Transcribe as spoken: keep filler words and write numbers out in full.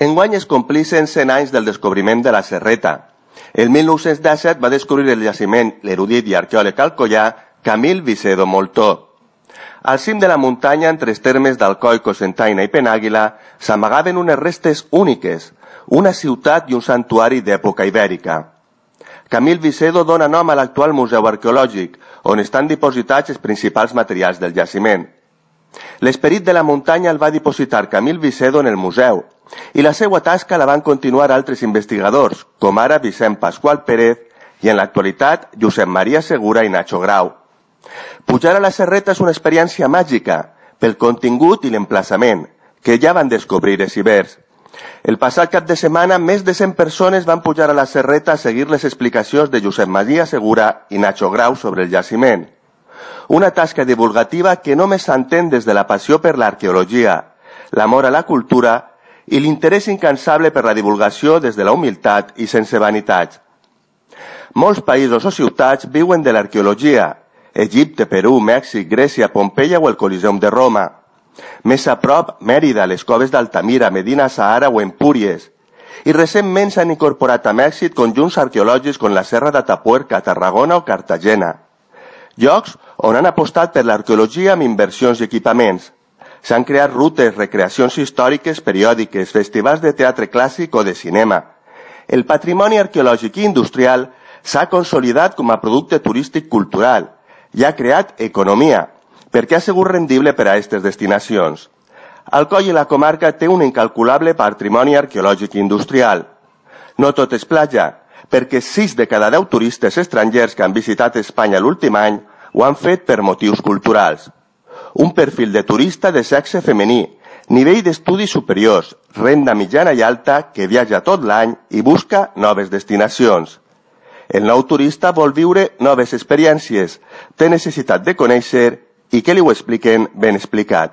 Enguany es complixen cent anys del descobriment de la Serreta. El mil nou-cents disset va descobrir el jaciment l'erudit i arqueòleg alcoià Camil Vicedo Moltó. Al cim de la muntanya, entre els termes d'Alcoi, Cocentaina i Penàguila, s'amagaven unes restes úniques, una ciutat i un santuari d'època ibèrica. Camil Vicedo dona nom a l'actual Museu Arqueològic, on estan dipositats els principals materials del jaciment. L'esperit de la muntanya el va dipositar Camil Vicedo en el museu, i la seva tasca la van continuar altres investigadors, com ara Vicent Pasqual Pérez i en l'actualitat Josep Maria Segura i Nacho Grau. Pujar a la Serreta és una experiència màgica, pel contingut i l'emplaçament, que ja van descobrir els ibers. El passat cap de setmana, més de cent persones van pujar a la Serreta a seguir les explicacions de Josep Maria Segura i Nacho Grau sobre el jaciment. Una tasca divulgativa que només s'entén des de la passió per l'arqueologia, l'amor a la cultura i l'interès incansable per la divulgació des de la humilitat i sense vanitats. Molts països o ciutats viuen de l'arqueologia: Egipte, Perú, Mèxic, Grècia, Pompeia o el Coliseum de Roma. Més a prop, Mèrida, les coves d'Altamira, Medina Sahara o Empúries. I recentment s'han incorporat a Mèxic conjunts arqueològics com la Serra d'Atapuerca, Tarragona o Cartagena. Llocs on han apostat per l'arqueologia amb inversions i equipaments. S'han creat rutes, recreacions històriques, periòdiques, festivals de teatre clàssic o de cinema. El patrimoni arqueològic i industrial s'ha consolidat com a producte turístic cultural i ha creat economia, perquè ha sigut rendible per a aquestes destinacions. Alcoi i la comarca té un incalculable patrimoni arqueològic i industrial. No tot és platja, perquè sis de cada deu turistes estrangers que han visitat Espanya l'últim any ho han fet per motius culturals. Un perfil de turista de sexe femení, nivell d'estudis superiors, renda mitjana i alta que viatja tot l'any i busca noves destinacions. El nou turista vol viure noves experiències, té necessitat de conèixer i que li ho expliquen ben explicat.